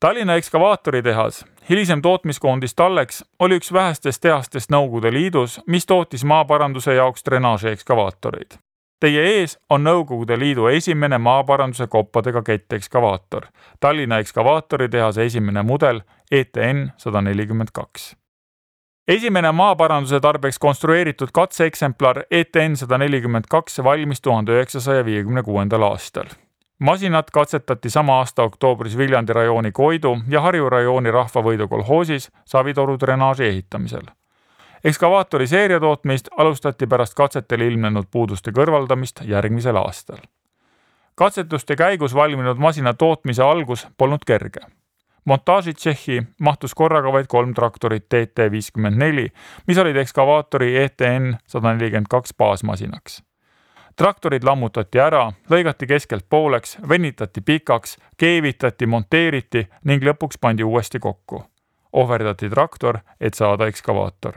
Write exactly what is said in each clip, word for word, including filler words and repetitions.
Tallinna ekskavaatoritehas, hilisem tootmiskoondis Tallex, oli üks vähestest tehastest Nõukogude Liidus, mis tootis maaparanduse jaoks drenaaži ekskavaatoreid. Teie ees on Nõukogude Liidu esimene maaparanduse koppadega kettekskavaator, Tallinna ekskavaatoritehase esimene mudel E T N sada nelikümmend kaks. Esimene maaparanduse tarbeks konstrueeritud katseeksemplar E T N sada nelikümmend kaks valmis tuhande üheksasaja viiekümne kuuendal aastal. Masinat katsetati sama aasta oktoobris Viljandi rajooni Koidu ja Harju rajooni Rahvavõidu kolhoosis Savitoru drenaaži ehitamisel. Ekskavaatori seeriatootmist alustati pärast katsetel ilmnenud puuduste kõrvaldamist järgmisel aastal. Katsetuste käigus valminud masina tootmise algus polnud kerge. Montaažitšehhi mahtus korraga vaid kolm traktorit T T viiskümmend neli, mis olid ekskavaatori E T N sada nelikümmend kaks baasmasinaks. Traktorid lammutati ära, lõigati keskelt pooleks, venitati pikaks, keevitati, monteeriti ning lõpuks pandi uuesti kokku. Ohverdati traktor, et saada ekskavaator.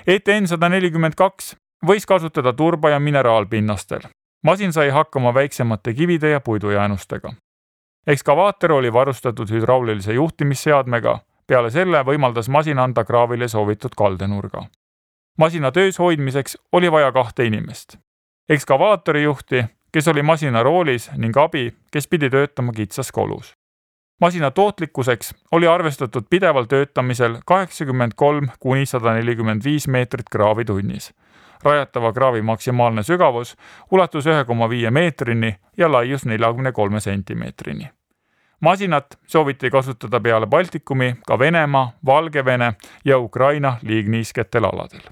E T N sada nelikümmend kaks võis kasutada turba- ja mineraalpinnastel. Masin sai hakkama väiksemate kivide ja puidujäänustega. Ekskavaator oli varustatud hüdraulilise juhtimisseadmega, peale selle võimaldas masin anda kraavile soovitud kaldenurga. Masina töös hoidmiseks oli vaja kahte inimest. Ekskavaatori juhti, kes oli masina roolis, ning abi, kes pidi töötama kitsas kolus. Masina tootlikkuseks oli arvestatud pideval töötamisel kaheksakümmend kolm kuni sada nelikümmend viis meetrit kraavi tunnis. Rajatava kraavi maksimaalne sügavus ulatus ühe koma viie meetrini ja laius neljakümne kolme sentimeetrini. Masinat sooviti kasutada peale Baltikumi ka Venemaa, Valgevene ja Ukraina liigniisketel aladel.